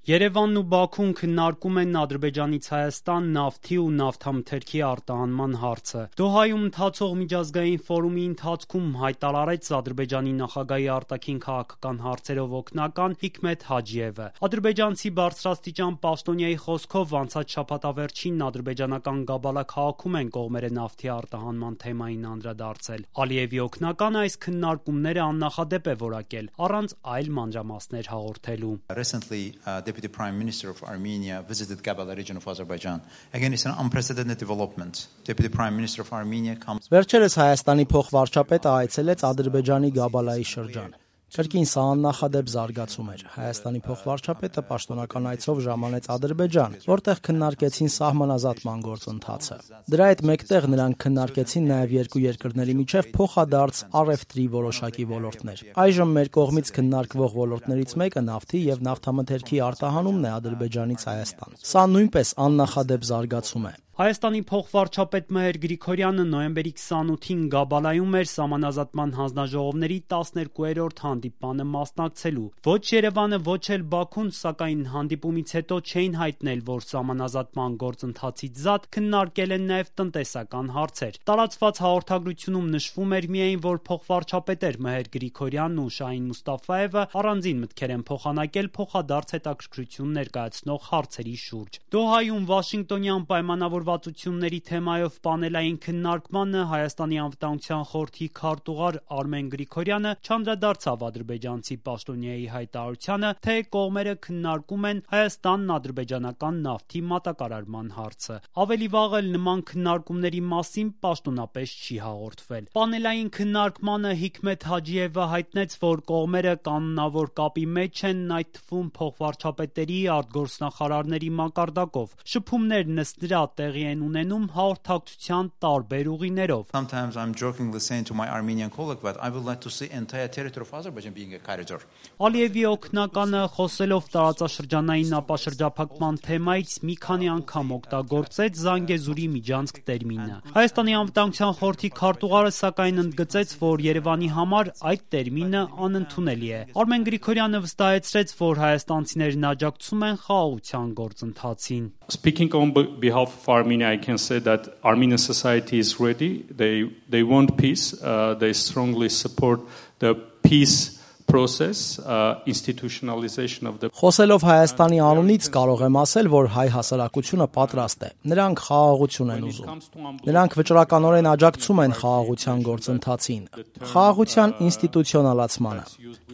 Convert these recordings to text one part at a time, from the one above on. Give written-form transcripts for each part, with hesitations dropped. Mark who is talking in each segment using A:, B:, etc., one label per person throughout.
A: Երևանն ու Բաքուն քննարկում են Ադրբեջանից Հայաստան նավթի ու նավթամթերքի արտահանման հարցը։ Դոհայում ընթացող միջազգային ֆորումի ընթացքում հայտարարեց Ադրբեջանի նախագահի արտաքին քաղաքական հարցերով օգնական Հիկմեթ Հաջիևը։ Ադրբեջանցի բարձրաստիճան պաշտոնյայի խոսքով անցած շաբաթավերջին ադրբեջանական Գաբալա քաղաքում են կողմերը նավթի արտահանման թեմային անդրադարձել։ Ալիևի օգնականը այս քննարկումները աննախադեպ է որակել, առանց այլ մանրամասներ հաղորդելու։
B: Deputy Prime Minister of Armenia visited Gabala region of Azerbaijan. Again, it's an unprecedented development. Deputy Prime Minister of Armenia comes.
C: Վերջերս Հայաստանի փոխվարչապետը այցելեց Ադրբեջանի Գաբալայի շրջան։ Կրկին սա աննախադեպ զարգացում էր։ Հայաստանի փոխվարչապետը պաշտոնական այցով ժամանեց Ադրբեջան, որտեղ քննարկեցին սահմանազատման գործընթացը։ Դրա հետ մեկտեղ նրանք քննարկեցին նաև երկու երկրների միջև փոխադարձ առևտրի որոշակի ոլորտներ։ Այժմ մեր կողմից քննարկվող ոլորտներից մեկը նավթի եւ նավթամթերքի արտահանումն է Ադրբեջանից Հայաստան։ Սա նույնպես աննախադեպ զարգացում է։
A: Հայաստանի փոխվարչապետ Մհեր Գրիգորյանը նոյեմբերի 28-ին Գաբալայում էր սահմանազատման հանձնաժողովների 12-րդ հանդիպմանը մասնակցելու։ Ոչ Երևանը, ոչ էլ Բաքուն, սակայն հանդիպումից հետո չէին հայտնել, որ սահմանազատման գործընթացից զատ քննարկել են նաև տնտեսական հարցեր։ Տարածված հաղորդագրությունում նշվում էր միայն, որ փոխվարչապետեր Մհեր Գրիգորյանն ու Շահին Մուստաֆաևը առանձին մտքեր են փոխանակել փոխադարձ հետաքրքրություն ներկայացնող հարցերի շուրջ։ Դոհայում Վաշինգտոնյան պայմանավորվածությունների թեմայով պանելային քննարկմանը Հայաստանի անվտանգության խորհրդի քարտուղար Արմեն Գրիգորյանը չանդրադարձավ ադրբեջանցի պաշտոնյայի հայտարարությանը, թե կողմերը քննարկում են Հայաստան-ադրբեջանական նավթի մատակարարման հարցը։ Ավելի վաղ էլ նման քննարկումների մասին պաշտոնապես չի հաղորդվել։ Պանելային քննարկմանը Հիկմեթ Հաջիևը հայտնեց, որ կողմերը կանոնավոր կապի մեջ են, այդ թվում փոխվարչապետերի, արտգործնախարարների մակարդակով։ Շփումներ նստրա տեղի են ունենում հաղորդակցության տարբեր ուղիներով։
B: Sometimes I'm jokingly saying to my Armenian colleague that I would like to see entire territory of Azerbaijan being a corridor.
A: Ալիևի օգնականը խոսելով տարածաշրջանային ապաշրջափակման թեմայից մի քանի անգամ օգտագործեց Զանգեզուրի միջանցք տերմինը։ Հայաստանի անվտանգության խորհրդի քարտուղարը սակայն ընդգծեց, որ Երևանի համար այդ տերմինը անընդունելի է։ Արմեն Գրիգորյանը վստահեցրեց, որ հայաստանցիներն աջակցում են խաղաղության գործընթացին։
D: Speaking on behalf of Armenia, I can say that Armenian society is ready. They want peace. They strongly support the peace process, institutionalization of the.
C: Խոսելով Հայաստանի անունից կարող եմ ասել, որ հայ հասարակությունը պատրաստ է։ Նրանք խաղաղություն են ուզում։ Նրանք վճռականորեն աջակցում են խաղաղության գործընթացին, խաղաղության ինստիտուցիոնալացմանը։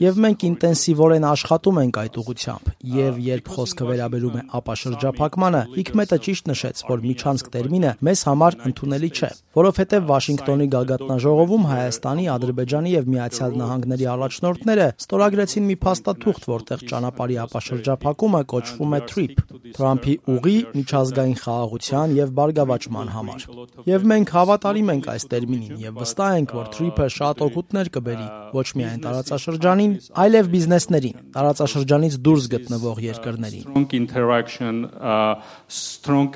C: Եվ մենք ինտենսիվորեն աշխատում ենք այդ ուղղությամբ։ Եվ երբ խոսքը վերաբերում է ապաշրջափակմանը, Հիկմետը ճիշտ նշեց, որ միջանցք տերմինը մեզ համար ընդունելի չէ, որովհետև Վաշինգտոնի գագաթնաժողովում Հայաստանի, Ադրբեջանի եւ Միացյալ Նահանգների առաջնորդները ստորագրեցին մի փաստաթուղթ, որտեղ ճանապարհի ապաշրջափակումը կոչվում է TRIP, Թրամփի ուղի միջազգային խաղաղության եւ բարգավաճման համար։ Եվ մենք հավատարիմ ենք այս տերմինին եւ վստահ ենք, որ TRIP-ը շատ օգուտներ կբերի ոչ միայն տարածաշրջանին, այլև բիզնեսներին, տարածաշրջանից դուրս գտնվող երկրներին։
D: Strong interaction, strong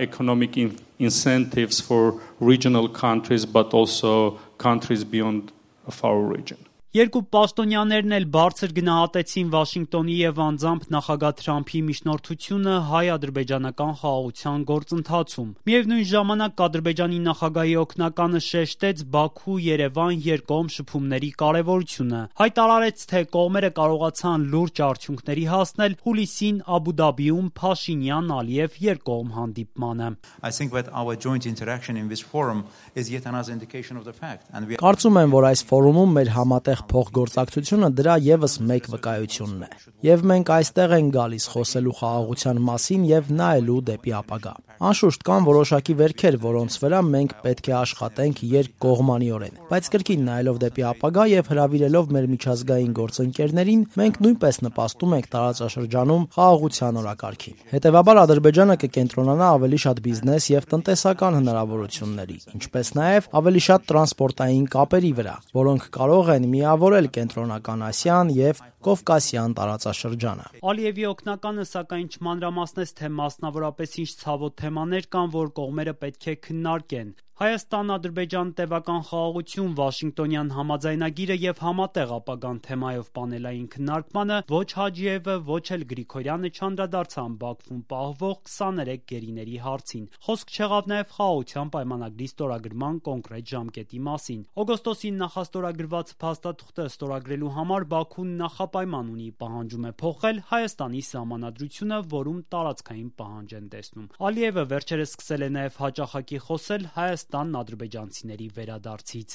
D: economic incentives for regional countries, but also countries beyond of our region.
A: Երկու պաշտոնյաներն էլ բարձր գնահատեցին Վաշինգտոնի եւ անձամբ նախագահ Թրամփի միջնորդությունը հայ-ադրբեջանական խաղաղության գործընթացում։ Միևնույն ժամանակ Ադրբեջանի նախագահի օգնականը շեշտեց Բաքու-Երևան երկկողմ շփումների կարեւորությունը։ Հայտարարեց, թե կողմերը կարողացան լուրջ արդյունքների հասնել հուլիսին Աբու Դաբիում Փաշինյան-Ալիև երկկողմ հանդիպմանը։
B: I think that our joint interaction in this forum is yet another indication of the fact.
C: Կարծում եմ, որ այս ֆորումում մեր համատեղ փոխգործակցությունը դրա եւս մեկ վկայությունն է։ Եվ մենք այստեղ ենք գալիս խոսելու խաղաղության մասին եւ նայելու դեպի ապագա։ Անշուշտ կան որոշակի վերքեր, որոնց վրա մենք պետք է աշխատենք երկկողմանիորեն, բայց կրկին նայելով դեպի ապագա եւ հրավիրելով մեր միջազգային գործընկերներին, մենք նույնպես նպաստում ենք տարածաշրջանում խաղաղության օրակարգին։ Հետևաբար Ադրբեջանը կկենտրոնանա ավելի շատ բիզնես եւ տնտեսական հնարավորությունների, ինչպես նաեւ ավելի շատ տրանսպորտային կապերի վրա, որոնք կարող են միավորել Կենտրոնական Ասիան եւ Կովկասյան տարածաշրջանը։
A: Ալիևի օգնականը սակայն չմանրամասնեց, թե մասնավորապես ինչ ցավոտ թեմաներ կան, որ կողմերը պետք է քննարկեն։ Հայաստան-Ադրբեջան տևական խաղաղություն, Վաշինգտոնյան համաձայնագիրը եւ համատեղ ապագան թեմայով պանելային քննարկմանը ոչ Հաջիևը, ոչ էլ Գրիգորյանը չանդրադարձան Բաքվում պահվող 23 գերիների հարցին։ Խոսք չեղավ նաեւ խաղաղության պայմանագրի ստորագրման կոնկրետ ժամկետի մասին։ Օգոստոսին նախաստորագրված փաստաթուղթը ստորագրելու համար Բաքուն նախապայման ունի, պահանջում է փոխել Հայաստանի սահմանադրությունը, որում տարածքային պահանջ են տեսնում։ Ալիևը վերջերս սկսել է նաեւ հաճախակի խոսել Հայաստան-ադրբեջանցիների վերադարձից։